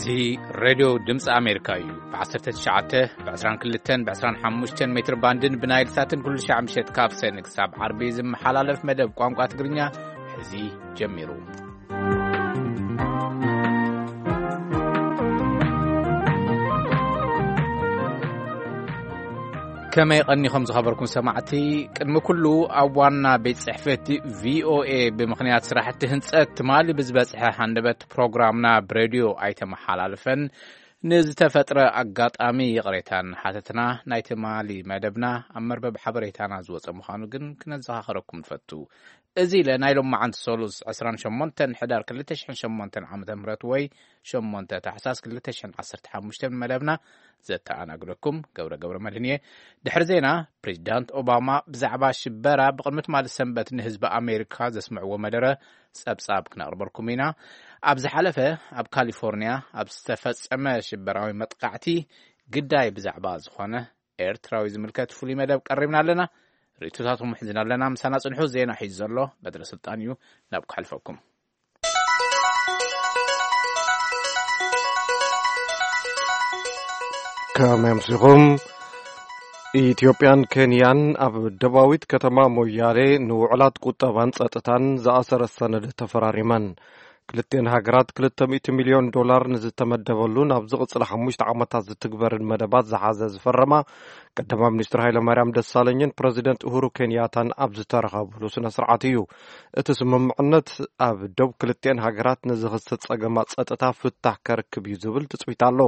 እዚ ሬድዮ ድምፂ ኣሜሪካ እዩ። ብ19፣ ብ22፣ ብ25 ሜትር ባንድን ብናይል ሳትን ኩሉ ሻዕ ምሸት ካብ ሰኒ ክሳብ ዓርቢ ዝመሓላለፍ መደብ ቋንቋ ትግርኛ ሕዚ ጀሚሩ። ከመይ ቀኒኹም ዝኸበርኩም ሰማዕቲ? ቅድሚ ኩሉ ኣብ ዋና ቤት ጽሕፈት ቪኦኤ ብምኽንያት ስራሕቲ ህንጸት ትማሊ ብዝበጽሐ ሃንደበት ፕሮግራምና ብሬድዮ ኣይተመሓላልፈን። ንዝተፈጥረ ኣጋጣሚ ይቕሬታ እናሓተትና ናይ ትማሊ መደብና ኣብ መርበብ ሓበሬታና ዝወጸ ምዃኑ ግን ክነዘኻኸረኩም ንፈቱ። እዚ ኢለ ናይ ሎማዓንቲ ሰሉስ ዕስራን ሸሞንተን ሕዳር ክልተ ሽሕን ሸሞንተን ዓመተ ምህረት ወይ ሸሞንተ ታሕሳስ ክልተ ሽሕን ዓሰርተ ሓሙሽተን መደብና ዘተኣናግደኩም ገብረ ገብረ መድህን እየ። ድሕሪ ዜና፣ ፕሬዚዳንት ኦባማ ብዛዕባ ሽበራ ብቕድሚ ትማሊ ሰንበት ንህዝቢ ኣሜሪካ ዘስምዕዎ መደረ ጸብጻብ ክነቕርበልኩም ኢና። ኣብ ዝሓለፈ ኣብ ካሊፎርኒያ ኣብ ዝተፈጸመ ሽበራዊ መጥቃዕቲ ግዳይ ብዛዕባ ዝኾነ ኤርትራዊ ዝምልከት ፍሉይ መደብ ቀሪብና ኣለና። ርእይቶታትኩም ሒዝና ኣለና። ምሳና ጽንሑ። ዜና ሒዙ ዘሎ በትረ ስልጣን እዩ። ናብ ክሓልፈኩም። ከመይ ኣምሲኹም? ኢትዮጵያን ኬንያን ኣብ ደባዊት ከተማ ሞያሌ ንውዕላት ቁጠባን ጸጥታን ዝኣሰረት ሰነድ ተፈራሪመን። ክልቲኤን ሃገራት ክልተ ሚእቲ ሚልዮን ዶላር ንዝተመደበሉ ናብ ዝቕጽል ሓሙሽተ ዓመታት ዝትግበርን መደባት ዝሓዘ ዝፈረማ ቀዳማይ ሚኒስትር ሃይለማርያም ደሳለኝን ፕረዚደንት ኡሁሩ ኬንያታን ኣብ ዝተረኸብሉ ስነ ስርዓት እዩ። እቲ ስምምዕነት ኣብ ዶብ ክልቲኤን ሃገራት ንዝኽሰት ጸገማት ጸጥታ ፍታሕ ከርክብ እዩ ዝብል ትጽቢት ኣሎ።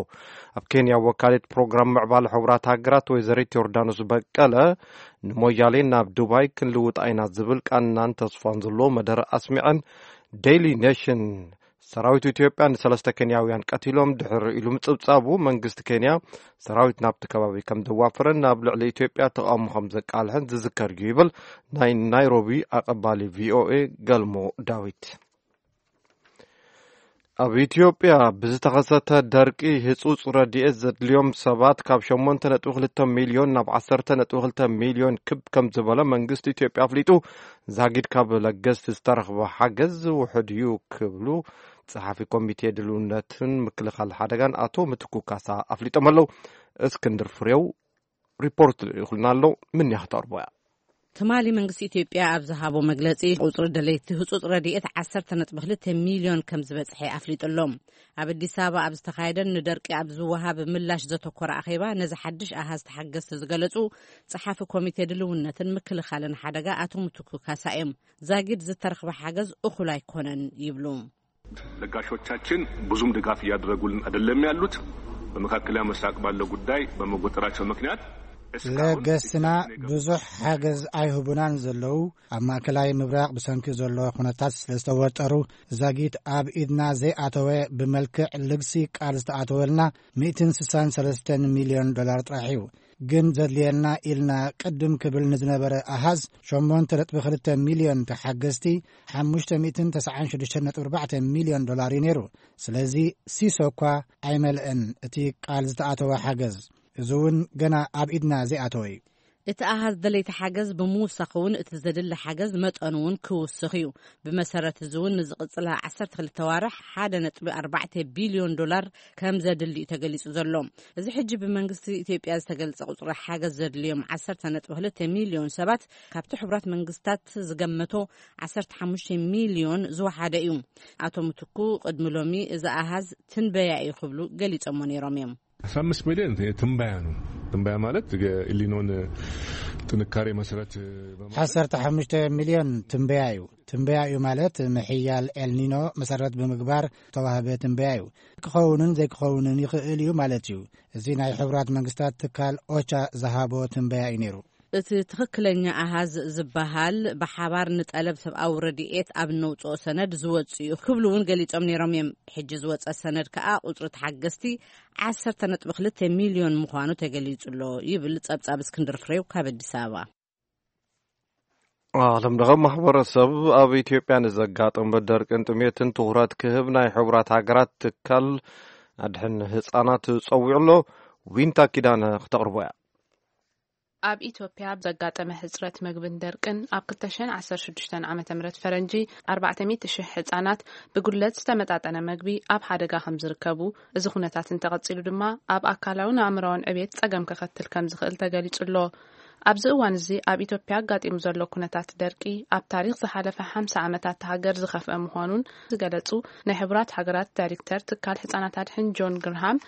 ኣብ ኬንያ ወካሊት ፕሮግራም ምዕባለ ሕቡራት ሃገራት ወይዘሪት ዮርዳኖስ በቀለ ንሞያሌ ናብ ዱባይ ክንልውጣ ኢና ዝብል ቃናን ተስፋን ዘለዎ መደረ ኣስሚዐን። ዴይሊ ኔሽን ሰራዊት ኢትዮጵያ ንሰለስተ ኬንያውያን ቀቲሎም ድሕሪ ኢሉ ምጽብጻቡ መንግስቲ ኬንያ ሰራዊት ናብቲ ከባቢ ከም ዘዋፈረን ናብ ልዕሊ ኢትዮጵያ ተቓውሞ ከም ዘቃልሐን ዝዝከር እዩ ይብል ናይ ናይሮቢ ኣቐባሊ ቪኦኤ ገልሞ ዳዊት። ኣብ ኢትዮጵያ ብዝተኸሰተ ደርቂ ህጹጽ ረድኤት ዘድልዮም ሰባት ካብ ሸሞንተ ነጥቢ ክልተ ሚልዮን ናብ ዓሰርተ ነጥቢ ክልተ ሚልዮን ክብ ከም ዝበለ መንግስቲ ኢትዮጵያ ኣፍሊጡ። ዛጊድ ካብ ለገስቲ ዝተረኽበ ሓገዝ ውሑድ እዩ ክብሉ ጸሓፊ ኮሚቴ ድልውነትን ምክልኻል ሓደጋን ኣቶ ምትኩ ካሳ ኣፍሊጦም ኣለዉ። እስክንድር ፍሬው ሪፖርት ልኢኹልና ኣሎ። ምን ያኽተርቦያ? ትማሊ መንግስቲ ኢትዮጵያ ኣብ ዝሃቦ መግለጺ፣ ቁጽሪ ደለይቲ ህጹጽ ረድኤት ዓሰርተ ነጥቢ ክልተ ሚልዮን ከም ዝበጽሐ ኣፍሊጡ ኣሎ። ኣብ ኣዲስ ኣበባ ኣብ ዝተኻየደን ንደርቂ ኣብ ዝወሃብ ምላሽ ዘተኮረ ኣኼባ፣ ነዚ ሓድሽ ኣሃዝ ተሓገዝቲ ዝገለጹ ጸሓፊ ኮሚቴ ድልውነትን ምክልኻልን ሓደጋ ኣቶ ምትኩ ካሳ እዮም። ዛጊድ ዝተረኽበ ሓገዝ እኹል ኣይኮነን ይብሉ። ለጋሾቻችን ብዙም ድጋፍ እያደረጉልን አይደለም ያሉት። በመካከለኛ ምስራቅ ባለው ጉዳይ በመወጠራቸው ምክንያት እስካሁን ለገስና ብዙሕ ሓገዝ ኣይህቡናን ዘለዉ። ኣብ ማእከላይ ምብራቕ ብሰንኪ ዘሎ ኩነታት ስለ ዝተወጠሩ፣ ዛጊት ኣብ ኢድና ዘይኣተወ፣ ብመልክዕ ልግሲ ቃል ዝተኣተወልና ሚእትን ስሳን ሰለስተን ሚልዮን ዶላር ጥራሕ እዩ። ግን ዘድልየና ኢልና ቅድም ክብል ንዝነበረ ኣሃዝ ሸሞንተ ነጥቢ ክልተ ሚልዮን ተሓገዝቲ፣ ሓሙሽተ ሚእትን ተስዓን ሽዱሽተን ነጥቢ ኣርባዕተ ሚልዮን ዶላር እዩ ነይሩ። ስለዚ ሲሶ እኳ ኣይመልአን እቲ ቃል ዝተኣተወ ሓገዝ። እዚ እውን ገና ኣብ ኢድና ዘይኣተወ እዩ። እቲ ኣሃዝ ደለይቲ ሓገዝ ብምውሳኽ እውን እቲ ዘድሊ ሓገዝ መጠኑ እውን ክውስኽ እዩ። ብመሰረት እዚ እውን ንዝቕጽላ ዓሰርተ ክልተ ዋርሕ ሓደ ነጥቢ ኣርባዕተ ቢልዮን ዶላር ከም ዘድሊ እዩ ተገሊጹ ዘሎ። እዚ ሕጂ ብመንግስቲ ኢትዮጵያ ዝተገልጸ ቁጽሪ ሓገዝ ዘድልዮም ዓሰርተ ነጥቢ ክልተ ሚልዮን ሰባት ካብቲ ሕቡራት መንግስታት ዝገመቶ ዓሰርተ ሓሙሽተ ሚልዮን ዝወሓደ እዩ። ኣቶ ምትኩ ቅድሚ ሎሚ እዚ ኣሃዝ ትንበያ እዩ ክብሉ ገሊጾሞ ነይሮም እዮም። አስራ አምስት ሚሊዮን ትንበያ ነው። ትንበያ ማለት የኤልኒኖን ጥንካሬ መሰረት በማድረግ ዓሰርተ ሓሙሽተ ሚልዮን ትንበያ እዩ። ትንበያ እዩ ማለት ምሕያል ኤልኒኖ መሰረት ብምግባር ተዋህበ ትንበያ እዩ። ክኸውንን ዘይክኸውንን ይኽእል እዩ ማለት እዩ። እዚ ናይ ሕቡራት መንግስታት ትካል ኦቻ ዝሃቦ ትንበያ እዩ ነይሩ። እቲ ትኽክለኛ ኣሃዝ ዝበሃል ብሓባር ንጠለብ ሰብኣዊ ረድኤት ኣብ ነውፅኦ ሰነድ ዝወፅ እዩ ክብሉ እውን ገሊፆም ነይሮም እዮም። ሕጂ ዝወፀ ሰነድ ከኣ ቁፅሪ ተሓገዝቲ ዓሰርተ ነጥቢ ክልተ ሚልዮን ምዃኑ ተገሊጹ ኣሎ ይብል ጸብጻብ እስክንድር ፍሬው ካብ ኣዲስ ኣበባ። ዓለም ለኸ ማሕበረሰብ ኣብ ኢትዮጵያ ንዘጋጠመ ደርቅን ጥሜትን ትኹረት ክህብ ናይ ሕቡራት ሃገራት ትካል ኣድሕን ህፃናት ጸዊዑ ኣሎ። ዊንታ ኪዳነ ክተቕርቦ እያ። ኣብ ኢትዮጵያ ብዘጋጠመ ሕጽረት መግብን ደርቅን ኣብ ክልተ ሽሕን ዓሰርተ ሽዱሽተን ዓመተ ምህረት ፈረንጂ ኣርባዕተ ሚእቲ ሽሕ ህጻናት ብጉድለት ዝተመጣጠነ መግቢ ኣብ ሓደጋ ከም ዝርከቡ፣ እዚ ኩነታት እንተቐጺሉ ድማ ኣብ ኣካላውን ኣእምራውን ዕቤት ጸገም ከኸትል ከም ዝኽእል ተገሊጹ ኣሎ። ኣብዚ እዋን እዚ ኣብ ኢትዮጵያ ኣጋጢሙ ዘሎ ኩነታት ደርቂ ኣብ ታሪኽ ዝሓለፈ ሓምሳ ዓመታት ሃገር ዝኸፍአ ምዃኑን ዝገለጹ ናይ ሕቡራት ሃገራት ዳይሬክተር ትካል ህጻናት ኣድሕን ጆን ግርሃም፣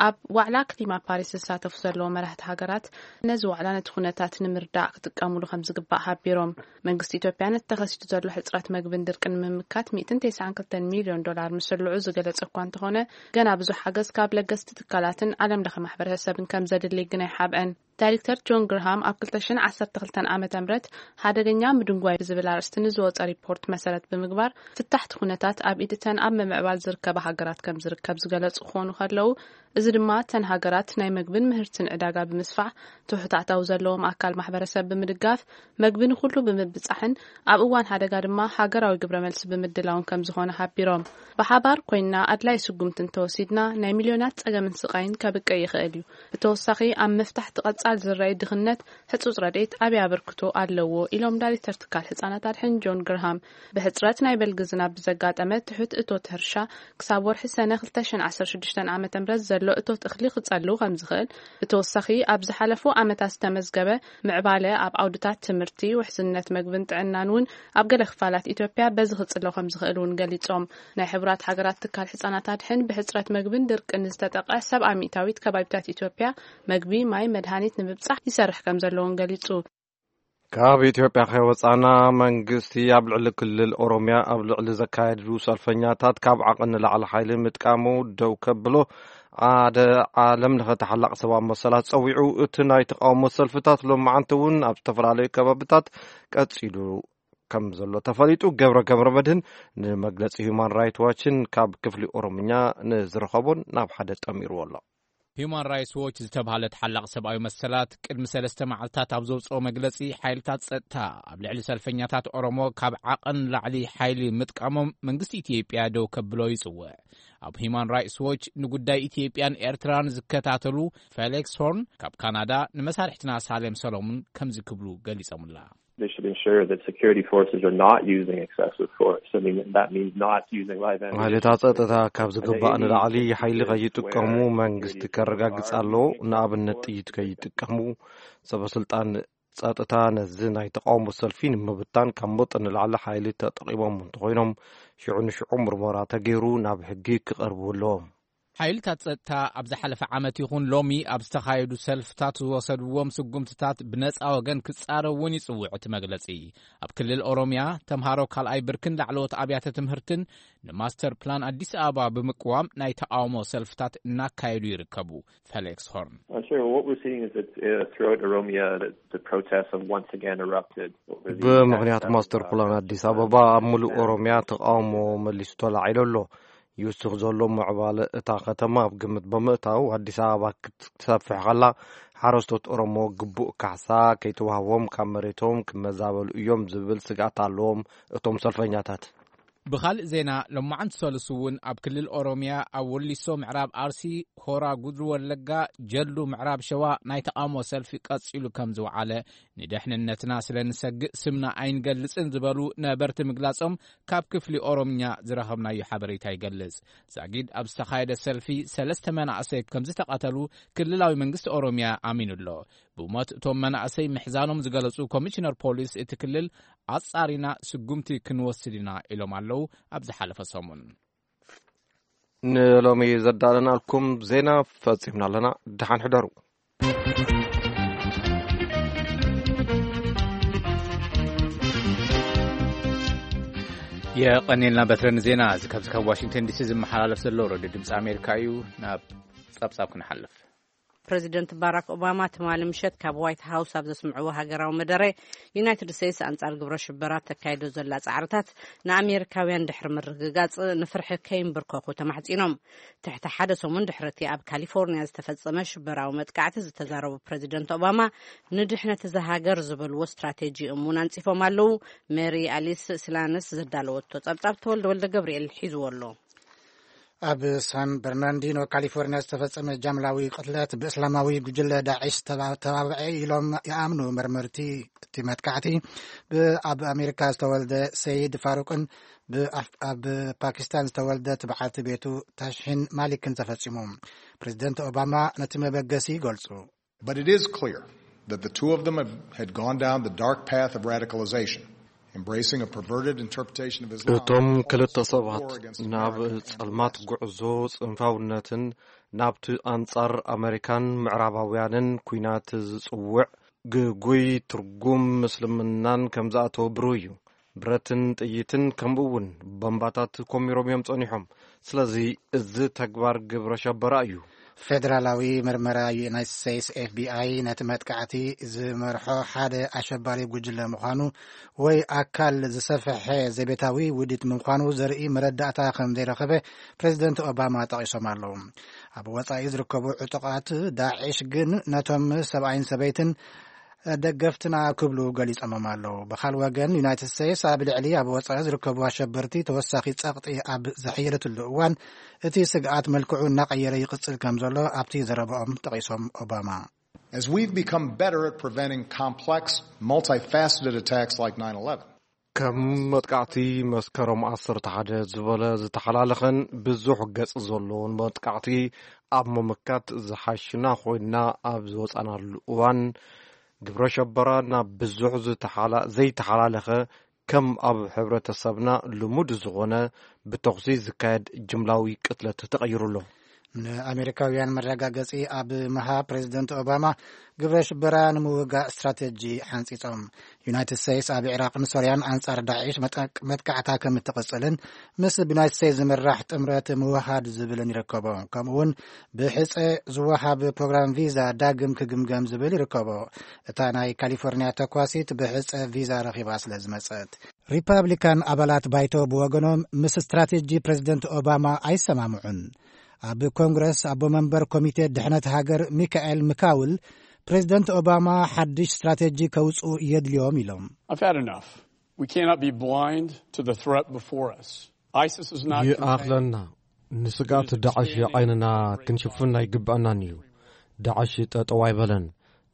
ኣብ ዋዕላ ክሊማ ፓሪስ ዝሳተፉ ዘለዉ መራሕቲ ሃገራት ነዚ ዋዕላ ነቲ ኩነታት ንምርዳእ ክጥቀሙሉ ከም ዝግባእ ሓቢሮም። መንግስቲ ኢትዮጵያ ነቲ ተኸሲቱ ዘሎ ሕጽረት መግብን ድርቅን ንምምካት ሚእትን ተስዓን ክልተን ሚልዮን ዶላር ምስልዑ ዝገለጸ እኳ እንተኾነ፣ ገና ብዙሕ ሓገዝ ካብ ለገስቲ ትካላትን ዓለም ለኸ ማሕበረሰብን ከም ዘድሊ ግን ኣይሓብአን። ዳይሬክተር ጆን ግርሃም ኣብ ክልተ ሽሕን ዓሰርተ ክልተን ዓመተ ምህረት ሓደገኛ ምድንጓይ ብዝብል ኣርእስቲ ንዝወጸ ሪፖርት መሰረት ብምግባር፣ ፍታሕቲ ኩነታት ኣብ ኢድ እተን ኣብ ምምዕባል ዝርከባ ሃገራት ከም ዝርከብ ዝገለጹ ክኾኑ ከለዉ፣ እዚ ድማ እተን ሃገራት ናይ መግብን ምህርትን ዕዳጋ ብምስፋሕ ትሑት ኣታዊ ዘለዎም ኣካል ማሕበረሰብ ብምድጋፍ፣ መግቢ ንኹሉ ብምብጻሕን ኣብ እዋን ሓደጋ ድማ ሃገራዊ ግብረ መልሲ ብምድላውን ከም ዝኾነ ሓቢሮም። ብሓባር ኮይንና ኣድላይ ስጉምቲ እንተወሲድና ናይ ሚልዮናት ጸገምን ስቓይን ከብቅዕ ይኽእል እዩ። ብተወሳኺ ኣብ ምፍታሕ እቲ ቀጻል ዝረኣይ ድኽነት ህጹጽ ረድኤት ዓቢ ኣበርክቶ ኣለዎ ኢሎም ዳይሬክተር ትካል ህጻናት ኣድሕን ጆን ግርሃም። ብሕጽረት ናይ በልጊ ዝናብ ብዘጋጠመ ትሑት እቶት ሕርሻ ክሳብ ወርሒ ሰነ ክልተ ሽሕን ዓሰርተ ሽዱሽተን ዓመተ ምህረት ዘሎ እቶት እኽሊ ክጸልው ከም ዝኽእል፣ ብተወሳኺ ኣብ ዝሓለፉ ዓመታት ዝተመዝገበ ምዕባለ ኣብ ዓውድታት ትምህርቲ፣ ውሕስነት መግብን ጥዕናን እውን ኣብ ገለ ክፋላት ኢትዮጵያ በዚ ክጽለው ከም ዝኽእል እውን ገሊጾም። ናይ ሕቡራት ሃገራት ትካል ህጻናት ኣድሕን ብሕጽረት መግብን ድርቅን ዝተጠቕዐ ሰብዓ ሚእታዊት ከባቢታት ኢትዮጵያ መግቢ፣ ማይ፣ መድሃኒት ንምብጻሕ ይሰርሕ ከም ዘለውን ገሊጹ። ካብ ኢትዮጵያ ከይወጻና መንግስቲ ኣብ ልዕሊ ክልል ኦሮሚያ ኣብ ልዕሊ ዘካየዱ ሰልፈኛታት ካብ ዓቕን ንላዕሊ ሓይሊ ምጥቃሙ ደው ከብሎ ሓደ ዓለም ለኸ ተሓላቕ ሰብኣዊ መሰላት ጸዊዑ። እቲ ናይ ተቃውሞ ሰልፍታት ሎማዓንቲ እውን ኣብ ዝተፈላለዩ ከባብታት ቀጺሉ ከም ዘሎ ተፈሊጡ። ገብረ ገብረ መድህን ንመግለጺ ሁማን ራይት ዋችን ካብ ክፍሊ ኦሮምኛ ንዝረኸቦን ናብ ሓደ ጠሚርዎ ኣሎ። ሁማን ራይትስ ዎች ዝተባህለ ተሓላቕ ሰብኣዊ መሰላት ቅድሚ ሰለስተ መዓልታት ኣብ ዘውፅኦ መግለፂ፣ ሓይልታት ፀጥታ ኣብ ልዕሊ ሰልፈኛታት ኦሮሞ ካብ ዓቐን ላዕሊ ሓይሊ ምጥቃሞም መንግስቲ ኢትዮጵያ ደው ከብሎ ይፅውዕ። ኣብ ሁማን ራይትስ ዎች ንጉዳይ ኢትዮጵያን ኤርትራን ዝከታተሉ ፌሊክስ ሆርን ካብ ካናዳ፣ ንመሳርሕትና ሳሌም ሰሎሙን ከምዚ ክብሉ ገሊጾምላ። They should ensure that security forces are not using excessive force. I mean, that means not using live ammunition. ሓይልታት ጸጥታ ካብ ዝግባእ ንላዕሊ ሓይሊ ከይጥቀሙ መንግስቲ ከረጋግጽ ኣለዎ። ንኣብነት ጥይት ከይጥቀሙ። ሰበ ስልጣን ጸጥታ ነዚ ናይ ተቃውሞ ሰልፊ ንምብታን ካብ መጠን ንላዕሊ ሓይሊ ተጠቂሞም እንተኾይኖም፣ ሽዑ ንሽዑ ምርመራ ተገይሩ ናብ ሕጊ ክቐርቡ ኣለዎም። ሓይልታት ጸጥታ ኣብ ዝሓለፈ ዓመት ይኹን ሎሚ ኣብ ዝተኻየዱ ሰልፍታት ዝወሰድዎም ስጉምትታት ብነጻ ወገን ክጻረው እውን ይጽውዕ እቲ መግለጺ። ኣብ ክልል ኦሮሚያ፣ ተምሃሮ ካልኣይ ብርክን ላዕለዎት ኣብያተ ትምህርትን ንማስተር ፕላን ኣዲስ ኣበባ ብምቅዋም ናይ ተቃውሞ ሰልፍታት እናካየዱ ይርከቡ። ፌሊክስ ሆርን። Uh, sure. Well, what we're seeing is that, uh, throughout Oromia, the, the protests have once again erupted over the ብምኽንያት master plan ኣዲስ ኣበባ ኣብ ምሉእ ኦሮሚያ ተቃውሞ መሊሱ ተላዒሉ ኣሎ። ይውስኽ ዘሎ ምዕባለ እታ ከተማ ኣብ ግምት ብምእታው፣ ኣዲስ ኣበባ ክትሰፍሕ ከላ፣ ሓረስቶት ኦሮሞ ግቡእ ካሕሳ ከይተዋህቦም ካብ መሬቶም ክመዛበሉ እዮም ዝብል ስግኣት ኣለዎም እቶም ሰልፈኛታት። ብኻልእ ዜና፣ ሎማዓንቲ ሰሉስ እውን ኣብ ክልል ኦሮሚያ፣ ኣብ ወሊሶ፣ ምዕራብ ኣርሲ፣ ሆራ ጉድሩ ወለጋ፣ ጀልዱ፣ ምዕራብ ሸዋ ናይ ተቃውሞ ሰልፊ ቀጺሉ ከም ዝወዓለ፣ ንደሕንነትና ስለ ንሰግእ ስምና ኣይንገልጽን ዝበሉ ነበርቲ ምግላጾም ካብ ክፍሊ ኦሮምኛ ዝረኸብናዮ ሓበሬታ ይገልጽ። ዛጊድ ኣብ ዝተኻየደ ሰልፊ ሰለስተ መናእሰይ ከም ዝተቐተሉ ክልላዊ መንግስቲ ኦሮምያ ኣሚኑ ኣሎ። ብሞት እቶም መናእሰይ ምሕዛኖም ዝገለጹ ኮሚሽነር ፖሊስ እቲ ክልል፣ ኣጻሪና ስጉምቲ ክንወስድ ኢና ኢሎም ኣለዉ። ኣብ ዝሓለፈ ሰሙን ንሎሚ ዘዳለናልኩም ዜና ፈጺምና ኣለና። ደሓን ሕደሩ። የቐኔልና በትረን ዜና። እዚ ካብዚ ካብ ዋሽንግተን ዲሲ ዝመሓላለፍ ዘሎ ሬድዮ ድምፂ ኣሜሪካ እዩ። ናብ ጸብጻብ ክንሓልፍ። ፕረዚደንት ባራክ ኦባማ ትማሊ ምሸት ካብ ዋይት ሃውስ ኣብ ዘስምዕዎ ሃገራዊ መደረ፣ ዩናይትድ ስቴትስ ኣንጻር ግብረ ሽበራ ተካይዶ ዘላ ጻዕርታት ንኣሜሪካውያን ድሕሪ ምርግጋጽ ንፍርሒ ከይንብርከኹ ተማሕጺኖም። ትሕቲ ሓደ ሰሙን ድሕሪ እቲ ኣብ ካሊፎርኒያ ዝተፈጸመ ሽበራዊ መጥቃዕቲ ዝተዛረቡ ፕረዚደንት ኦባማ፣ ንድሕነት እዛ ሃገር ዝበልዎ ስትራቴጂ እውን ኣንጺፎም ኣለዉ። ሜሪ ኣሊስ ስላነስ ዘዳለወቶ ጸብጻብ ተወልደ ወልደ ገብርኤል ሒዝዎ ኣሎ። ኣብ ሳን በርናንዲኖ ካሊፎርኒያ ዝተፈጸመ ጃምላዊ ቅትለት ብእስላማዊ ጉጅለ ዳዒሽ ተባ- ተባብዐ ኢሎም ይኣምኑ መርመርቲ። እቲ መጥቃዕቲ ብ- ኣብ ኣሜሪካ ዝተወልደ ሰይድ ፋሩቅን ብኣፍ- ኣብ ፓኪስታን ዝተወልደት በዓልቲ ቤቱ ታሽሂን ማሊክን ተፈጺሙ። ፕሬዚደንት ኦባማ ነቲ መበገሲ ይገልጹ። But it is clear that the two of them have, had gone down the dark path of radicalization, embracing a perverted interpretation of Islam. እቶም ክልተ ሰባት ናብ ጸልማት ጉዕዞ ጽንፋውነትን ናብቲ ኣንጻር ኣመሪካን ምዕራባውያንን ኲናት ዝጽውዕ ግጉይ ትርጉም ምስልምናን ከም ዝኣተወ ብሩህ እዩ። ብረትን ጥይትን ከምኡ እውን ቦምባታት ኮሚሮም እዮም ጸኒሖም። ስለዚ እዚ ተግባር ግብረ ሸበራ እዩ። ፌደራላዊ ምርመራ ዩናይትድ ስቴትስ ኤፍቢኣይ ነቲ መጥቃዕቲ ዝመርሖ ሓደ ኣሸባሪ ጉጅለ ምዃኑ ወይ ኣካል ዝሰፍሐ ዘቤታዊ ውዲት ምዃኑ ዘርኢ መረዳእታ ከም ዘይረኸበ ፕሬዚደንት ኦባማ ጠቒሶም ኣለዉ። ኣብ ወጻኢ ዝርከቡ ዕጡቓት ዳዕሽ ግን ነቶም ሰብኣይን ሰበይትን ደገፍትና ክብሉ ገሊጾሞም ኣለዉ። ብኻል ወገን ዩናይትድ ስቴትስ ኣብ ልዕሊ ኣብ ወጻኢ ዝርከቡ ኣሸበርቲ ተወሳኺ ጸቕጢ ኣብ ዘሐየለትሉ እዋን እቲ ስግኣት መልክዑ እናቐየረ ይቕጽል ከም ዘሎ ኣብቲ ዘረባኦም ጠቒሶም ኦባማ። As we've become better at preventing complex, multifaceted attacks like nine eleven. ከም መጥቃዕቲ መስከረም ዓሰርተ ሓደ ዝበለ ዝተሓላለኸን ብዙሕ ገጽ ዘለዎን መጥቃዕቲ ኣብ ምምካት ዝሓሽና ኮይና ኣብ ዝወጻናሉ እዋን ግብረ ሸበራ ናብ ብዙሕ ዝተሓላ- ዘይተሓላለኸ ከም ኣብ ሕብረተሰብና ልሙድ ዝኾነ ብተኹሲ ዝካየድ ጅምላዊ ቅትለት ተቐይሩ ኣሎ። ንኣሜሪካውያን መረጋገጺ ኣብ ምሃብ ፕሬዚደንት ኦባማ ግብረ ሽበራ ንምውጋእ ስትራቴጂ ሓንጺጾም። ዩናይትድ ስቴትስ ኣብ ኢራቕን ሶርያን ኣንጻር ዳዒሽ መጠቅ- መጥቃዕታ ከም እትቕጽልን ምስ ብዩናይትድ ስቴትስ ዝምራሕ ጥምረት ምውሃድ ዝብልን ይርከቦ። ከምኡውን ብሕጸ ዝወሃብ ፕሮግራም ቪዛ ዳግም ክግምገም ዝብል ይርከቦ። እታ ናይ ካሊፎርኒያ ተኳሲት ብሕጸ ቪዛ ረኺባ ስለ ዝመጸት። ሪፓብሊካን ኣባላት ባይቶ ብወገኖም ምስ ስትራቴጂ ፕሬዚደንት ኦባማ ኣይሰማምዑን። ኣብ ኮንግረስ ኣቦ መንበር ኮሚቴ ድሕነት ሃገር ሚካኤል ምካውል ፕሬዚደንት ኦባማ ሓድሽ ስትራቴጂ ከውፅኡ የድልዮም ኢሎም። I've had enough. We cannot be blind to the threat before us. ISIS is not contained. ይኣኽለና። ንስጋት ዳዕሽ ዓይንና ክንሽፍን ኣይግብኣናን እዩ። ዳዕሽ ጠጠው ኣይበለን።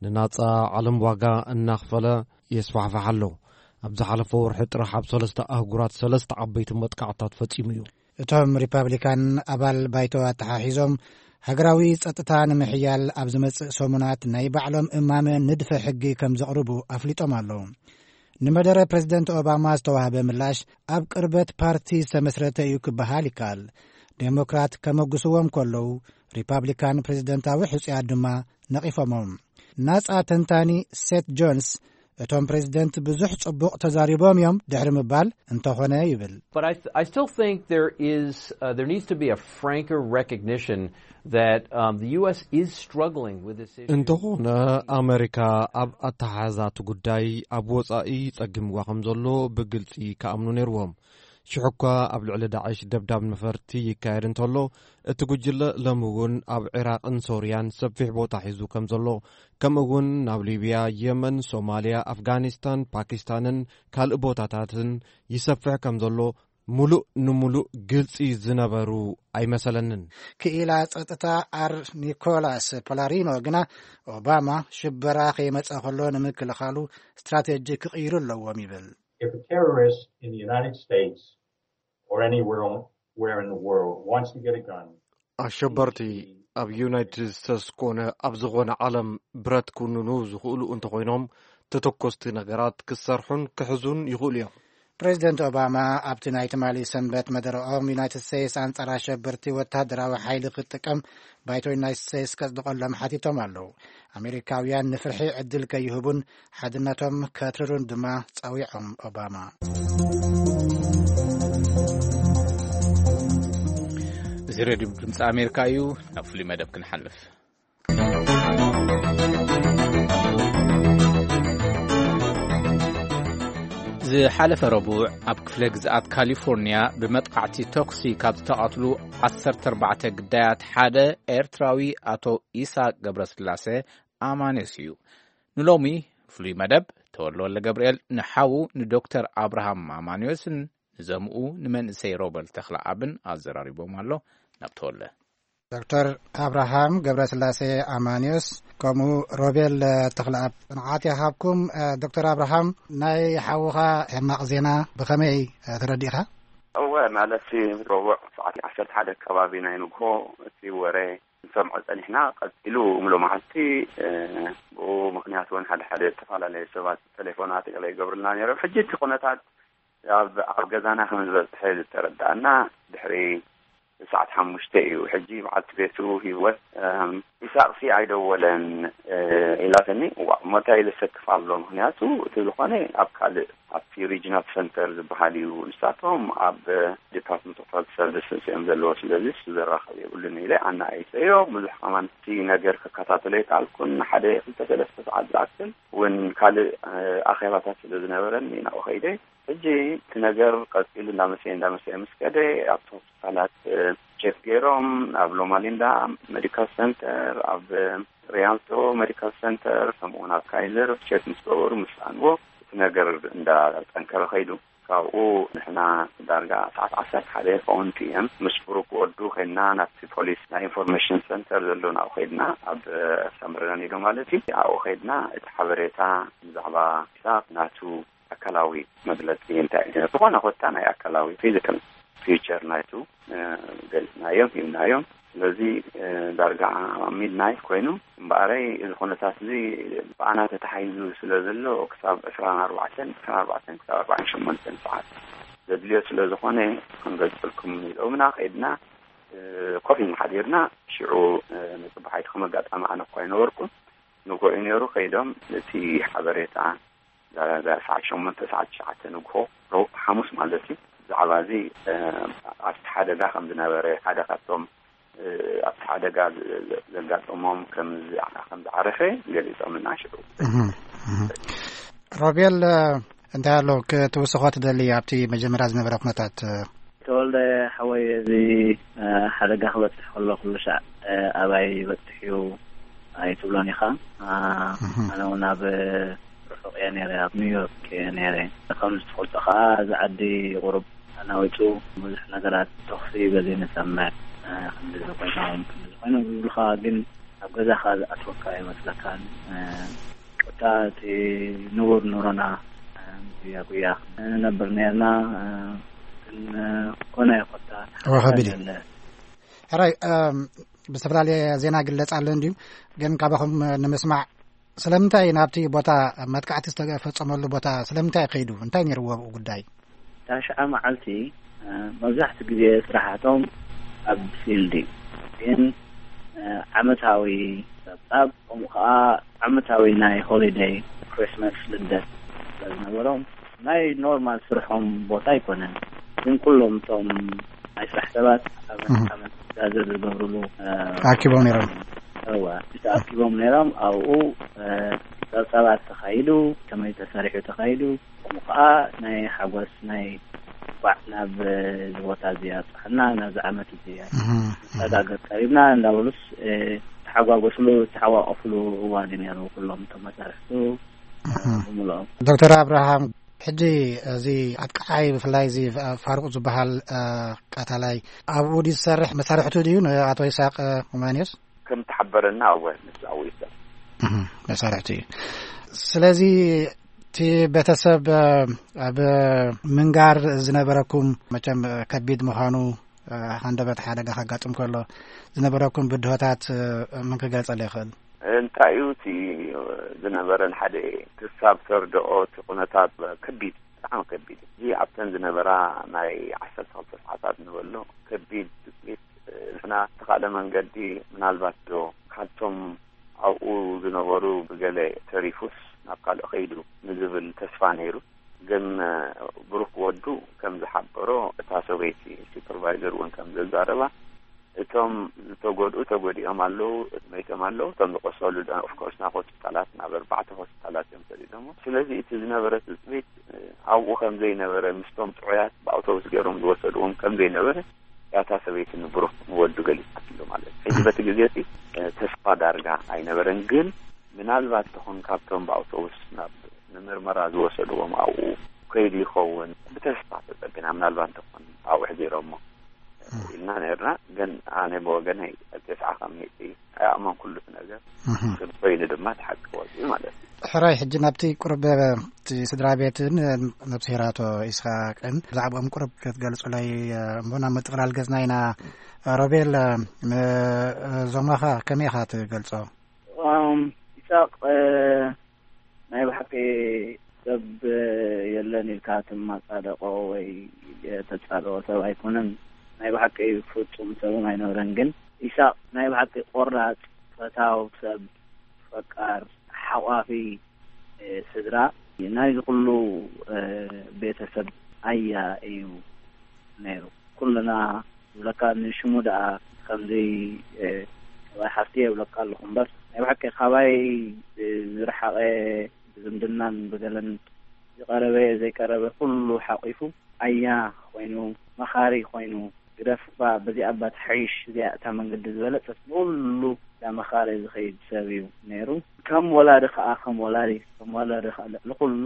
ንናጻ ዓለም ዋጋ እናኽፈለ የስፋሕፍሕ ኣሎ። ኣብ ዝሓለፈ ወርሒ ጥራሕ ኣብ ሰለስተ ኣህጉራት ሰለስተ ዓበይቲ መጥቃዕታት ፈጺሙ እዩ። እቶም ሪፓብሊካን ኣባል ባይቶ ኣተሓሒዞም ሃገራዊ ጸጥታ ንምሕያል ኣብ ዝመጽእ ሰሙናት ናይ ባዕሎም እማመ ንድፈ ሕጊ ከም ዘቕርቡ ኣፍሊጦም ኣለዉ። ንመደረ ፕሬዚደንት ኦባማ ዝተዋህበ ምላሽ ኣብ ቅርበት ፓርቲ ዝተመስረተ እዩ ክበሃል ይከኣል። ዴሞክራት ከመጉስዎም ከለዉ ሪፓብሊካን ፕሬዚደንታዊ ሕጹያት ድማ ነቒፎሞም። ናጻ ተንታኒ ሴት ጆንስ እቶም ፕሬዚደንት ብዙሕ ጽቡቕ ተዛሪቦም እዮም ድሕሪ ምባል እንተኾነ ይብል። But I, th- I still think there is, uh, there needs to be a franker recognition that um, the U S is struggling with this issue. እንተኾነ ኣመሪካ ኣብ ኣተሓሕዛቲ ጉዳይ ኣብ ወጻኢ ጸጊምዋ ከም ዘሎ ብግልጺ ክኣምኑ ነይርዎም። ሽሕኳ ኣብ ልዕሊ ዳዕሽ ደብዳብ ነፈርቲ ይካየድ እንተሎ፣ እቲ ጉጅለ ሎሚ እውን ኣብ ዒራቕን ሶርያን ሰፊሕ ቦታ ሒዙ ከም ዘሎ፣ ከምኡ እውን ናብ ሊብያ፣ የመን፣ ሶማልያ፣ ኣፍጋኒስታን፣ ፓኪስታንን ካልእ ቦታታትን ይሰፍሕ ከም ዘሎ ምሉእ ንምሉእ ግልጺ ዝነበሩ ኣይመሰለንን። ክኢላ ጸጥታ ኣር ኒኮላስ ፖላሪኖ ግና ኦባማ ሽበራ ከይመጸ ከሎ ንምክልኻሉ ስትራቴጂ ክቕይሩ ኣለዎም ይብል። If a terrorist in the United States or anywhere on- where in the world wants to get a gun, ኣሸበርቲ ኣብ ዩናይትድ ስቴትስ ኮነ ኣብ ዝኾነ ዓለም ብረት ክውንኑ ዝኽእሉ እንተኾይኖም፣ ተተኮስቲ ነገራት ክሰርሑን ክሕዙን ይኽእሉ እዮም። ፕሬዚደንት ኦባማ ኣብቲ ናይ ትማሊ ሰንበት መደረኦም ዩናይትድ ስቴትስ ኣንጻር ኣሸበርቲ ወታደራዊ ሓይሊ ክትጥቀም ባይቶ ዩናይትድ ስቴትስ ከጽድቐሎም ሓቲቶም ኣለዉ። ኣሜሪካውያን ንፍርሒ ዕድል ከይህቡን ሓድነቶም ከትርሩን ድማ ጸዊዖም ኦባማ። እዚ ሬድዮ ድምፂ ኣሜሪካ እዩ። ናብ ፍሉይ መደብ ክንሓልፍ። ዝሓለፈ ረቡዕ ኣብ ክፍለ ግዝኣት ካሊፎርኒያ ብመጥቃዕቲ ተኩሲ ካብ ዝተቐትሉ ዓሰርተ ኣርባዕተ ግዳያት ሓደ ኤርትራዊ ኣቶ ኢሳቅ ገብረስላሴ ኣማንዮስ እዩ። ንሎሚ ፍሉይ መደብ ተወልደ ወልደ ገብርኤል ንሓዉ ንዶክተር ኣብርሃም ኣማንዮስን ንዘምኡ ንመንእሰይ ሮበል ተኽለኣብን ኣዘራሪቦም ኣሎ። ናብ ተወለ። ዶክተር ኣብርሃም ገብረስላሴ ኣማኒዮስ፣ ከምኡ ሮቤል ተኽለኣብ፣ ጽንዓት ይሃብኩም። ዶክተር ኣብርሃም፣ ናይ ሓውኻ ሕማቕ ዜና ብኸመይ ተረዲእኻ? እወ፣ ማለት፣ ረቡዕ ሰዓት ዓሰርተ ሓደ ከባቢ ናይ ንግሆ እቲ ወረ ንሰምዖ ጸኒሕና። ቀጺሉ እምሎ መዓልቲ፣ እ፣ ብኡ ምኽንያት እውን ሓደ ሓደ ዝተፈላለየ ሰባት ቴሌፎናት ገለ ይገብሩልና ነይሮም። ሕጂ እቲ ኩነታት ኣብ፣ ኣብ ገዛና ከም ዝበጽሐ ዝተረዳእና ድሕሪ ሰዓት ሓሙሽተ እዩ። ሕጂ በዓልቲ ቤቱ ህይወት፣ እም፣ ኢሳቕሲ ኣይደወለን፣ እ፣ ኢላትኒ። እዋ፣ እሞ እንታይ ኢለ ሰክፍ ኣሎ? ምኽንያቱ እቲ ዝኾነ ኣብ ካልእ፣ ኣብቲ ሪጅናል ሰንተር ዝበሃል እዩ። ንሳቶም ኣብ ዲፓርትመንት ኦፍ ሄልት ሰርቪስስ እዮም ዘለዎ፣ ስለዚ እሱ ዘራኽብ የብሉን ኢለ ኣናኣይሰዮ። ብዙሕ ከማን እቲ ነገር ከከታተሎ ኣይከኣልኩን። ሓደ ክልተ ሰለስተ ሰዓት ዝኣክል እውን ካልእ፣ እ፣ ኣኼባታት ስለ ዝነበረኒ ናብኡ ከይደ። ሕጂ እቲ ነገር ቀጺሉ እንዳመሰየ እንዳመሰየ ምስ ከደ ኣብቲ ሆስፒታላት፣ እ፣ ቼክ ገይሮም፣ ኣብ ሎማሊንዳ ሜዲካል ሰንተር፣ ኣብ ሪያልቶ ሜዲካል ሰንተር፣ ከምኡ እውን ኣብ ካይዘር ቼክ ምስ ገበሩ፣ ምስ ሰኣንዎ፣ እቲ ነገር እንዳጠንከረ ከይዱ። ካብኡ ንሕና ዳርጋ ሰዓት ዓሰርተ ሓደ ይኸውን ፒ ኤም ምስ ብሩክ ወዱ ኮይንና ናብቲ ፖሊስ ናይ ኢንፎርሜሽን ሰንተር ዘሎ ናብኡ ከይድና፣ ኣብ ሰምረና ኒዶ ማለት እዩ። ኣብኡ ከይድና እቲ ሓበሬታ ብዛዕባ ኢሳቕ ናቱ ኣካላዊ መግለጺ እንታይ እዩ? ዝኾነ ኮታ ናይ ኣካላዊ ፊዚካል ፊቸር ናይቱ፣ እ፣ ገሊጽናዮም፣ ሂብናዮም። ስለዚ፣ እ፣ ዳርጋ ሚድናይት ኮይኑ እምበኣረይ፣ እዚ ኩነታት እዚ ብኣና ተታሒዙ ስለ ዘሎ ክሳብ ዕስራን ኣርባዕተን፣ ዕስራን ኣርባዕተን ክሳብ ኣርባዓን ሸሞንተን ሰዓት ዘድልዮ ስለ ዝኾነ ክንገልጸልኩም ኢሎምና። ከይድና፣ እ፣ ኮፍ ኢልና ሓዲርና። ሽዑ፣ እ፣ ንጽባሕ ኣይትኹም ኣጋጣሚ ኣነ እኳ ኣይነበርኩን። ንግሆ እዩ ነይሩ። ከይዶም እቲ ሓበሬታ ዳርጋ ሰዓት ሸሞንተ፣ ሰዓት ትሽዓተ ንግሆ፣ ረቡዕ፣ ሓሙስ ማለት እዩ። ብዛዕባ እዚ፣ እ፣ ኣብቲ ሓደጋ ከም ዝነበረ፣ ሓደ ካብቶም፣ እ፣ ኣብቲ ሓደጋ ዘ-፣ ዘ-፣ ዘጋጠሞም ከም ዝዓ-፣ ከም ዝዓረፈ ገሊጾምልና ሽዑ። እህ፣ እህ። ሮቤል፣ እ፣ እንታይ ኣሎ ክትውስኾ ትደሊ ኣብቲ መጀመርያ ዝነበረ ኩነታት? ተወልደ ሓወይ፣ እዚ፣ እ፣ ሓደጋ ክበጽሕ ከሎ ኩሉ ሻዕ፣ እ፣ ኣባይ ይበጽሕ እዩ ኣይትብሎን ኢኻ። እ፣ እህ። ኣነ እውን ኣብ ርሑቕ እየ ነይረ፣ ኣብ ኒውዮርክ እየ ነይረ። ከም ዝትፈልጦ ኸዓ፣ እዚ ዓዲ ቁሩብ ተናዊጹ፣ ብዙሕ ነገራት ተኹሲ በዚ ንሰምዕ፣ እ፣ ክንድዚ ኮይኖም፣ ክንድዚ ኮይኖም ዝብሉኻ፣ ግን ኣብ ገዛኻ ዝኣትወካ ኣይመስለካን። እ፣ ኮታ እቲ ንቡር ኑሮና፣ እ፣ ጉያ ጉያ ንነብር ነርና፣ እ፣ ግን፣ እ፣ ኮነ ኮታ እወ፣ ከቢድ እዩ። ኣለ። ሕራይ፣ እም፣ ብዝተፈላለየ ዜና ግለጽ ኣሎ እንድዩ፣ ግን ካባኹም ንምስማዕ፣ ስለምንታይ ናብቲ ቦታ፣ መጥቃዕቲ ዝተፈጸመሉ ቦታ ስለምንታይ ከይዱ? እንታይ ነይርዎ ኣብኡ ጉዳይ? እታ ሽዓ መዓልቲ፣ እ፣ መብዛሕትኡ ግዜ ስራሓቶም ኣብ ፊልድ እዩ። ግን፣ እ፣ ዓመታዊ ጸብጻብ፣ ከምኡ ከኣ ዓመታዊ ናይ ሆሊደይ፣ ክሪስማስ፣ ልደት ስለ ዝነበሮም፣ ናይ ኖርማል ስርሖም ቦታ ኣይኮነን። ግን ኩሎም እቶም ናይ ስራሕ ሰባት ኣብ እህ። ዓመት ጋዘር ዝገብርሉ፣ እ፣ ተኣኪቦም ነይሮም። እዋ፣ ተኣኪቦም ነይሮም። ኣብኡ፣ እ፣ ጸብጻባት ተኻይዱ፣ ከመይ ተሰሪሑ ተኻይዱ፣ ከምኡ ከኣ ናይ ሓጎስ፣ ናይ እንኳዕ ናብ፣ እ፣ እዚ ቦታ እዚ ኣብጽሓና፣ ናብዚ ዓመት እዚ እህ፣ እህ። መሰጋገር ቀሪብና እንዳበሉስ፣ እ፣ ተሓጓጎስሉ፣ ዝተሓቋቆፍሉ እዋን እዩ ነይሩ፣ ኩሎም እቶም መሳርሕቱ፣ እ፣ እህ። ብምልኦም። ዶክተር ኣብርሃም፣ ሕጂ እዚ ኣጥቃዓይ፣ ብፍላይ እዚ ፋሩቕ ዝበሃል፣ እ፣ ቀታላይ፣ ኣብኡ ድዩ ዝሰርሕ? መሳርሕቱ ድዩ ንኣቶ ይስሐቅ፣ እ፣ ኡማንዮስ? ከም ተሓበረና፣ እወ፣ ንሱ ኣብኡ ይሰርሕ። እህ፣ መሳርሕቱ እዩ። ስለዚ እቲ ቤተሰብ፣ እ፣ ኣብ ምንጋር ዝነበረኩም መቸም፣ እ፣ ከቢድ ምዃኑ፣ እ፣ ሃንደበት ሓደጋ ከጋጥም ከሎ ዝነበረኩም ብድሆታት፣ እ፣ መን ክገልጸሉ ይኽእል? እንታይ እዩ እቲ ዝነበረ? ንሓደ ክሳብ ተርድኦ እቲ ኩነታት ከቢድ፣ ብጣዕሚ ከቢድ። እዚ ኣብተን ዝነበራ ናይ ዓሰርተ ክልተ ሰዓታት ንበሎ ከቢድ ትጽቢት፣ ንሕና ዝተኻእለ መንገዲ ምናልባት ዶ ካብቶም ኣብኡ ዝነበሩ ብገለ ተሪፉስ ናብ ካልእ ከይዱ ንዝብል ተስፋ ነይሩ። ግን ብሩክ ወዱ ከም ዝሓበሮ፣ እታ ሰበይቲ ሱፐርቫይዘር እውን ከም ዘዛረባ፣ እቶም ዝተጎድኡ ተጎዲኦም ኣለዉ፣ መይቶም ኣለዉ። እቶም ዝቆሰሉ ደ-፣ ኦፍኮርስ ናብ ሆስፒታላት፣ ናብ ኣርባዕተ ሆስፒታላት እዮም ሰዲዶሞ። ስለዚ እቲ ዝነበረ ትጽቢት፣ እ፣ ኣብኡ ከም ዘይነበረ፣ ምስቶም ጥዑያት ብኣውቶቡስ ገይሮም ዝወሰድዎም ከም ዘይነበረ፣ ያታ ሰበይቲ ንብሩክ ንወዱ ገሊጻትሉ ማለት እዩ። ሕጂ በቲ ግዜ እቲ፣ እ፣ ተስፋ ዳርጋ ኣይነበረን። ግን ምናልባት ተኾን ካብቶም ብኣውቶቡስ ናብ ንምርመራ ዝወሰድዎም ኣብኡ ከይዱ ይኸውን፣ ብተስፋ ተጸቢና፣ ምናልባት ተኾን ኣብኡ ሕዚሮሞ። ኢልና ነርና። ግን ኣነ ብወገነይ ተስዓ ካብ ሚእቲ ኣይኣመንኩሉ እቲ ነገር። እህ። ግን ኮይኑ ድማ እቲ ሓቂ ወፂኡ ማለት እዩ። ሕራይ፣ ሕጂ ናብቲ ቁርብ እቲ ስድራ ቤትን ነብስሄር ኣቶ ኢስሓቅን ብዛዕባኦም ቁርብ ክትገልጹለይ እሞ ናብ ምጥቕላል ገጽና ኢና። ሮቤል፣ ንዞማኻ ከመይ ኢኻ ትገልጾ? እም፣ ኢሳቅ፣ እ፣ ናይ ብሓቂ ሰብ የለን ኢልካ ትማጻደቆ ወይ የተጻደቆ ሰብ ኣይኮነን። ናይ ብሓቂ ፍጹም ሰብም ኣይነበረን። ግን ኢሳቅ ናይ ብሓቂ ቆራጽ፣ ፈታው ሰብ፣ ፈቃር፣ ሓቋፊ፣ እ፣ ስድራ፣ ናይ ዝኩሉ፣ እ፣ ቤተሰብ ኣያ እዩ ነይሩ። ኩልና ዝብለካ ንሽሙ ደኣ ከምዚ፣ እ፣ ሰብኣይ ሓፍቲ የብለካ ኣለኹ እምበር፣ ናይ ብሓቂ ካባይ፣ እ፣ ዝረሓቐ ብዝምድናን ብገለን ዝቐረበ ዘይቀረበ ኩሉ ሓቂፉ ኣያ ኮይኑ፣ መኻሪ ኮይኑ፣ ግደፍ እባ በዚኣ እባ ትሓይሽ፣ እዚኣ እታ መንገዲ ዝበለጸት፣ ንኹሉ እንዳመኻረ ዝኸይድ ሰብ እዩ ነይሩ። ከም ወላዲ ከኣ፣ ከም ወላዲ፣ ከም ወላዲ ከኣ ልዕሊ ኩሉ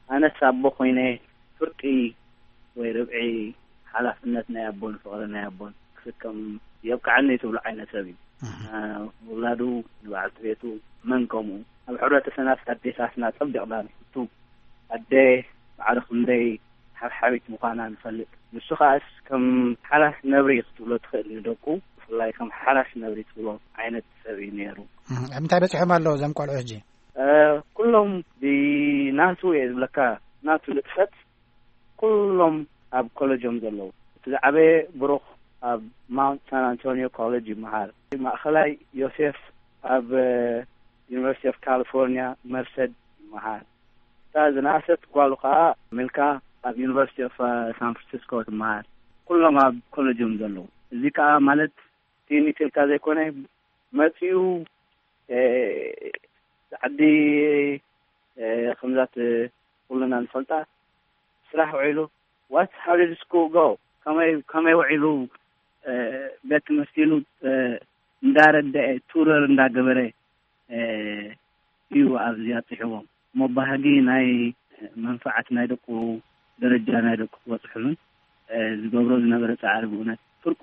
ኣነስ ኣቦ ኮይነ ፍርቂ ወይ ርብዒ ሓላፍነት ናይ ኣቦን ፍቕሪ ናይ ኣቦን ክስከም የብቅዓኒ ትብሎ ዓይነት ሰብ እዩ። እህ። እ፣ ውላዱ፣ ንበዓልቲ ቤቱ፣ መን ከምኡ። ኣብ ሕብረተሰብና ኣዴታትና ጸቢቕና ንፍቱ። ኣደ ማዕረ ክንደይ ሓብሓቢት ምዃና ንፈልጥ። ንሱ ከኣስ ከም ሓላስ ነብሪ ክትብሎ ትኽእል ንደቁ፣ ብፍላይ ከም ሓላስ ነብሪ ትብሎ ዓይነት ሰብ እዩ ነይሩ። እህ፣ ኣብ ምንታይ በጺሖም ኣለዉ እዞም ቆልዑ ሕጂ? እ፣ ኩሎም ብናቱ እየ ዝብለካ፣ ናቱ ንጥፈት ኩሎም ኣብ ኮለጆም ዘለዉ። እቲ ዝዓበየ ብሩኽ ኣብ ማውንት ሳን ኣንቶኒዮ ኮሌጅ ይመሃር። ማእኸላይ ዮሴፍ ኣብ፣ እ፣ ዩኒቨርሲቲ ኦፍ ካሊፎርኒያ መርሰድ ይመሃር። እታ ዝነኣሰት ጓሉ ከኣ ሚልካ ኣብ ዩኒቨርሲቲ ኦፍ፣ እ፣ ሳን ፍራንሲስኮ ትመሃር። ኩሎም ኣብ ኮለጆም ዘለዉ። እዚ ከኣ ማለት ትንሽ ኢልካ ዘይኮነ መጺኡ፣ እ፣ ዓዲ፣ እ፣ ከምዛት ኩልና ንፈልጣ ስራሕ ውዒሉ፣ what, how did school go? ከመይ፣ ከመይ ውዒሉ፣ እ፣ ቤት ትምህርቲ ኢሉ፣ እ፣ እንዳረደአ፣ ቱረር እንዳገበረ፣ እ፣ እዩ ኣብዚ ኣብፂሕዎም። እሞ ባህጊ ናይ መንፋዓት ናይ ደቁ፣ ደረጃ ናይ ደቁ ክበፅሕሉን፣ እ፣ ዝገብሮ ዝነበረ ፃዕሪ ብእውነት ፍርቁ፣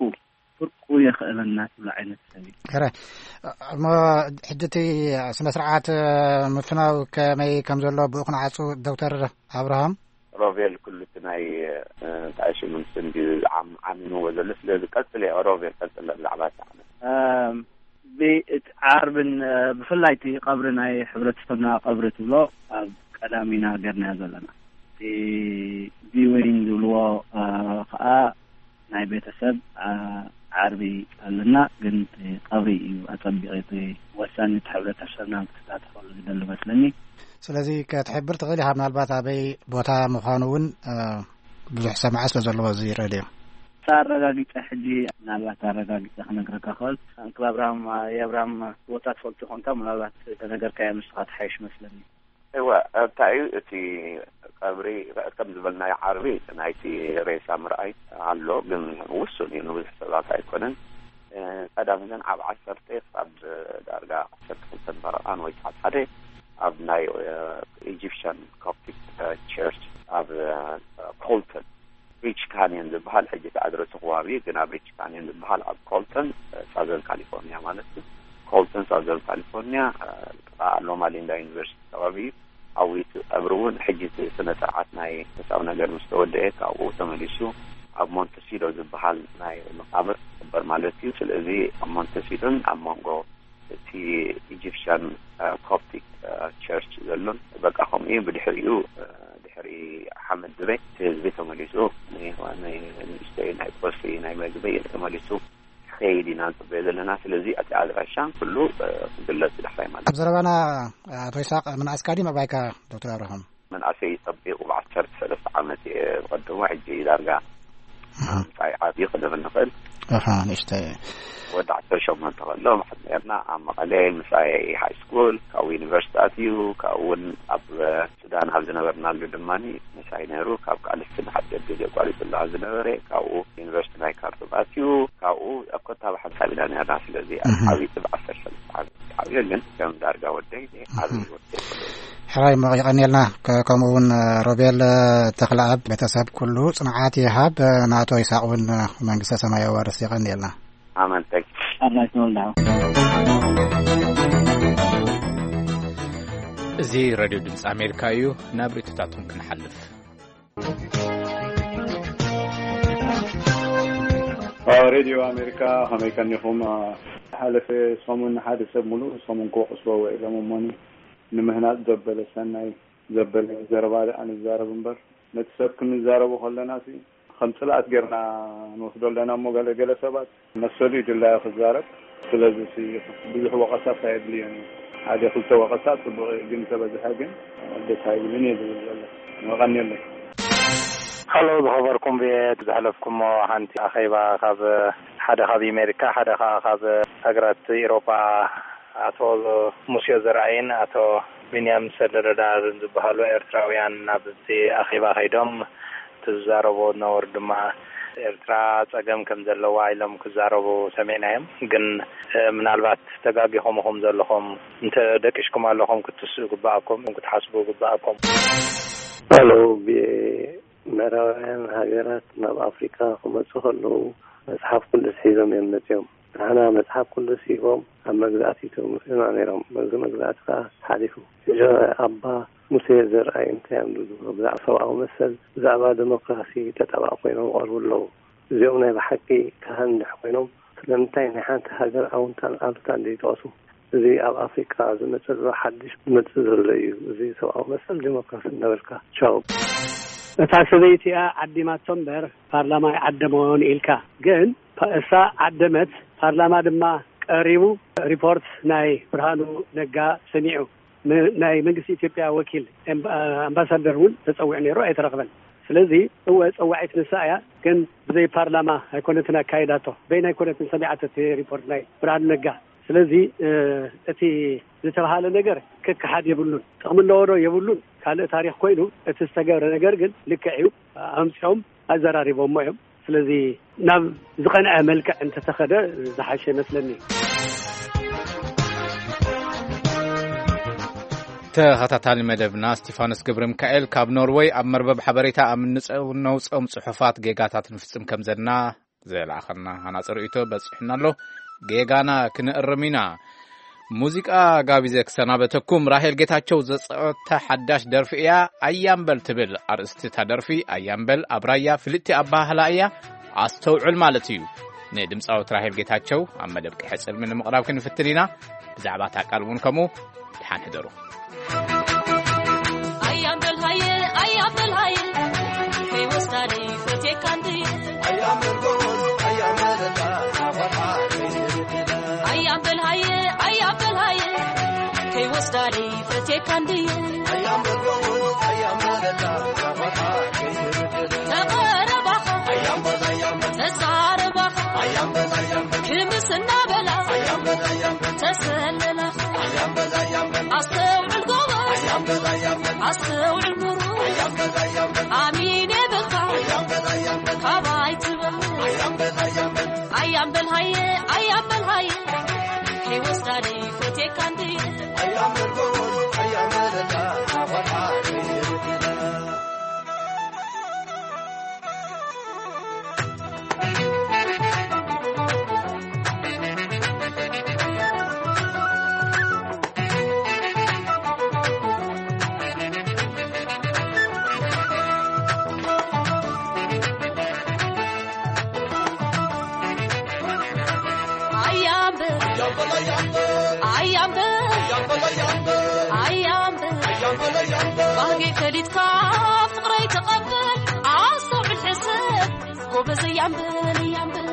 ፍርቁ የኽእለና ትብሎ ዓይነት ሰብ እዩ። ሕራይ። እሞ ሕጂ እቲ ስነ ስርዓት ምፍናው ከመይ ከም ዘሎ ብኡ ክንዓጹ ዶክተር ኣብርሃም? ሮቤል፣ ኩሉ እቲ ናይ፣ እ፣ እንታይ ሽሙ ንሱ እንድዩ ዓም-፣ ዓሚምዎ ዘሎ። ስለዚ ቀጽል እየ ሮቤል፣ ቀጽል ብዛዕባ እቲ ዓመት። እም፣ ብ-፣ እቲ ዓርብን፣ እ፣ ብፍላይ እቲ ቀብሪ ናይ ሕብረተሰብና ቀብሪ ትብሎ ኣብ ቀዳም ኢና ጌርናዮ ዘለና። እቲ ቪወይን ዝብልዎ፣ እ፣ ከኣ ናይ ቤተሰብ፣ እ፣ ዓርቢ ኣለና፣ ግን እቲ ቀብሪ እዩ ኣጸቢቑ እቲ ወሳኒ፣ እቲ ሕብረተሰብና ክሳተፈሉ ዝደሊ መስለኒ። ስለዚ ክትሕብር ትኽእል ኢኻ ምናልባት ኣበይ ቦታ ምዃኑ እውን፣ እ፣ ብዙሕ ሰማዒ ስለ ዘለዎ እዚ ሬድዮ። ኣረጋጊጸ ሕጂ ምናልባት ኣረጋጊጸ ክነግረካ ክእል። ኣንክል ኣብርሃም፣ የኣብርሃም ቦታ ትፈልጦ ኾንካ ምናልባት ተነገርካዮ ንስኻ ትሓይሽ መስለኒ። እወ፣ እንታይ እዩ እቲ ቀብሪ፣ ከም ዝበልናዮ ዓርቢ ናይቲ ሬሳ ምርኣይ ኣሎ፣ ግን ውሱን እዩ፣ ንብዙሕ ሰባት ኣይኮነን። እ፣ ቀዳም ግን ኣብ ዓሰርተ ክሳብ ዳርጋ ዓሰርተ ክልተን ፈረቓን ወይ ሰዓት ሓደ ኣብ ናይ፣ እ፣ ኢጂፕሽያን ኮፕቲክ፣ እ፣ ቸርች ኣብ፣ እ፣ ኮልተን ሪች ካንየን ዝበሃል፣ ሕጂ እቲ ኣድረሱ ክዋቢ ግን ኣብ ሪች ካንየን ዝበሃል ኣብ ኮልተን፣ እ፣ ሳዘርን ካሊፎርኒያ ማለት እዩ። ኮልተን ሳዘርን ካሊፎርኒያ፣ እ፣ ጥቓ ሎማ ሊንዳ ዩኒቨርሲቲ ከባቢ እዩ። ኣብኡ እቲ ቀብሪ እውን ሕጂ እቲ ስነ ስርዓት ናይ ምሳው ነገር ምስ ተወደአ ካብኡ ተመሊሱ ኣብ ሞንተሲዶ ዝበሃል ናይ መቃብር ክቕበር ማለት እዩ። ስለዚ ኣብ ሞንተሲዶን ኣብ መንጎ እቲ ኢጂፕሽያን፣ እ፣ ኮፕቲክ፣ እ፣ ቸርች ዘሎን በቃ ከምኡ እዩ። ብድሕሪኡ፣ እ፣ ድሕሪ ሓመድ ዝበይ እቲ ህዝቢ ተመሊሱ ን-፣ ን-፣ ንእሽተይ ናይ ቁርሲ ናይ መግቢ ተመሊሱ ክኸይድ ኢና ንጽበዮ ዘለና። ስለዚ እቲ ኣድራሻ ኩሉ፣ እ፣ ክግለጽ ዳሕራይ ማለት ኣብ እዩ። ዘረባና ኣቶ ይስሓቅ፣ ምንኣስካ ድዩ ምዕባይካ ዶክተር ኣብርሃም? መንእሰይ ጸቢቑ ብዓሰርተ ሰለስተ ዓመት እየ ዝቐድሞ፣ ሕጂ ዳርጋ ኣሃ። ምሳይ ዓብዩ ክንብል ንኽእል። ኣሃ፣ ንእሽተይ። ወዲ ዓሰርተ ሸሞንተ ከሎ መሓዝ ነርና ኣብ መቐለ ምሳይ ሃይ ስኩል፣ ካብኡ ዩኒቨርሲቲ ኣትዩ፣ ካብኡ እውን ኣብ ሱዳን ኣብ ዝነበርናሉ ድማ ምሳይ ነይሩ። ካብ ቃልሲ ንሓፂር ግዜ ኣቋሪፅሉ ኣብ ዝነበረ፣ ካብኡ ዩኒቨርሲቲ ናይ ካርቱም ኣትዩ፣ ካብኡ ኣብ ኮታባ ሓንሳብ ኢና ነርና። ስለዚ ኣብ እህ። ዓብይቲ ብዓሰርተ ሰለስተ ዓመት ዓብዮ፣ ግን ከም ዳርጋ ወደይ ዓብዪ እህ። ወደይ። ራይ ሞ የቐንየልና። ከ-፣ ከምኡ እውን ሮቤል ተኽለኣብ ቤተሰብ ኩሉ ጽንዓት ይሃብ። ናቶ ይስሐቅ እውን መንግስተ ሰማይ የዋርስ። የቐንየልና። ኣመንተይ። ኣላይትኖልና። እዚ ሬድዮ ድምፂ ኣሜሪካ እዩ። ናብ ርእይቶታቶም ክንሓልፍ። ሬድዮ ኣሜሪካ፣ ከመይ ከኒኹም? ሓለፈ ሰሙን ሓደ ሰብ ሙሉእ ሰሙን ክወቕስዎ ውዒሎም እሞኒ፣ ንምህናፅ ዘበለ ሰናይ ዘበለ ዘረባ ደኣ ንዛረብ እምበር፣ ነቲ ሰብ ክንዛረቦ ከለና ሲ ከም ጽልኣት ጌርና ንወስዶ ኣለና እሞ፣ ገለ ገለ ሰባት መሰሉ እዩ ድላዩ ክዛረብ። ስለዚ ሲ ብዙሕ ወቐሳ ኣየድልዮን እዩ። ሓደ ክልተ ወቐሳ ጽቡቕ እዩ፣ ግን ተበዝሐ ግን ደስ ኣይብልን እየ ዝብል ዘሎ። የቐንየለይ። ሃሎ፣ ዝኸበርኩም ብየት ዘሕለፍኩሞ ሓንቲ ኣኼባ ካብ ሓደ ካብ ኣሜሪካ፣ ሓደ ኸኣ ካብ ሃገራት ኤውሮጳ፣ ኣቶ ሙሴ ዘርኣይን ኣቶ ቢንያም ሰለረዳርን ዝበሃሉ ኤርትራውያን ናብቲ ኣኼባ ከይዶም፣ እቲ ዝዛረብዎ ዝነበሩ ድማ፣ ኤርትራ ጸገም ከም ዘለዋ ኢሎም ክዛረቡ ሰሚዕናዮም። ግን፣ እ፣ ምናልባት ተጋጊኹም ኢኹም ዘለኹም፣ እንተ ደቂስኩም ኣለኹም ክትስኡ ይግብኣኩም፣ ክትሓስቡ ይግብኣኩም። ሃሎ፣ ብ-፣ ምዕራባውያን ሃገራት ናብ ኣፍሪቃ ክመጹ ከለዉ መጽሓፍ ቅዱስ ሒዞም እዮም መጺኦም። ንሕና መጽሓፍ ቅዱስ ሂቦም ኣብ መግዛእቲ ይጥርምሱና ነይሮም። በዚ መግዛእቲ ከኣ ሓሊፉ። ሕጂ ኣባ ሙሴ ዘርኣይ እንታይ እዮም ዝብሉ? ብዛዕባ ሰብኣዊ መሰል፣ ብዛዕባ ዲሞክራሲ ተጣባቒ ኮይኖም ይቐርቡ ኣለዉ። እዚኦም ናይ ብሓቂ ካህን እንድሕር ኮይኖም፣ ስለምንታይ ናይ ሓንቲ ሃገር ኣውንታን ኣሉታን ዘይጠቕሱ? እዚ ኣብ ኣፍሪቃ ዝመጽእ ዘሎ ሓድሽ ዝመጽእ ዘሎ እዩ። እዚ ሰብኣዊ መሰል ዲሞክራሲ እናበልካ። ቻው። እታ ሰበይቲ እያ ዓዲማቶ እምበር ፓርላማ ኣይዓደሞን ኢልካ። ግን ፓ-፣ እሳ ዓደመት፣ ፓርላማ ድማ ቀሪቡ ሪፖርት ናይ ብርሃኑ ነጋ ሰሚዑ። ም-፣ ናይ መንግስቲ ኢትዮጵያ ወኪል ኤምባ-፣ ኣምባሳደር እውን ተጸዊዑ ነይሩ፣ ኣይተረኽበን። ስለዚ እወ ጸዋዒት ንሳ እያ፣ ግን ብዘይ ፓርላማ ኣይኮነትን ኣካይዳቶ። በይና ኣይኮነትን ሰሚዓቶ እቲ ሪፖርት ናይ ብርሃኑ ነጋ። ስለዚ፣ እ፣ እቲ ዝተባሃለ ነገር ክከሓድ የብሉን። ጥቕሚ ኣለዎ ዶ የብሉን፣ ካልእ ታሪኽ ኮይኑ፣ እቲ ዝተገብረ ነገር ግን ልክዕ እዩ። ኣምጺኦም ኣዘራሪቦሞ እዮም። ስለዚ ናብ ዝቐንዐ መልክዕ እንተተኸደ ዝሓሸ ይመስለኒ። ተኸታታሊ መደብና እስቲፋኖስ ገብረ ሚካኤል ካብ ኖርወይ ኣብ መርበብ ሓበሬታ ኣብ እንጸ-፣ ነውጽኦም ጽሑፋት ጌጋታት ንፍጽም ከም ዘለና ዘላኣኸና ሃናጺ ርእይቶ በጺሑና ኣሎ። ጌጋና ክንእርም ኢና። ሙዚቃ ጋቢዘ ክሰናበተኩም፣ ራሄል ጌታቸው ዘጸወታ ሓዳሽ ደርፊ እያ። ኣያምበል ትብል ኣርእስቲ እታ ደርፊ። ኣያምበል ኣብ ራያ ፍልጥቲ ኣበሃህላ እያ። ኣስተውዕል ማለት እዩ። ንድምጻዊት ራሄል ጌታቸው ኣብ መደብ ቅሐ ጽልሚ ንምቕራብ ክንፍትን ኢና። ብዛዕባ እታ ቃል እውን ከምኡ። ደሓን ሕደሩ። ኣያምበል ሃየ፣ ኣያምበል ሃየ፣ ከይወስዳ ደይ ፈቴካ እንድየ። ኣያምበል ሃየ፣ ኣያምበል ሃየ፣ ከይወስዳ ደይ ፈቴካ እንድየ። ተቐረባኻ፣ ተዛረባኻ፣ ክምስ እናበላ፣ ተሰለላኻ። ኣስተውዕል ጎበዝ፣ ኣስተውዕል ምሩኽ፣ ኣሚን የብልካ፣ ካባይ ትበል። ኣያምበል ሃየ፣ ኣያምበል ሃየ፣ ከይወስዳ ደይ ፈቴካ እንድየ። ኣያምበል፣ ኣያምበል፣ ኣያምበል፣ ኣያምበል፣ ባህገይ ፈሊጥካ ፍቕረይ ተቐበል፣ ኣስተውዕል ሕሰብ፣ ጎበዝ ኣያምበል፣ ኣያምበል።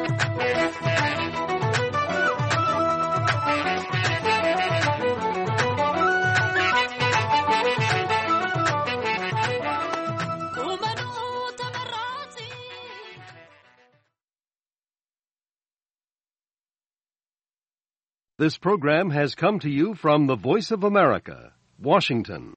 ቁመኑ ተመራጺ። This program has come to you from the Voice of America, Washington.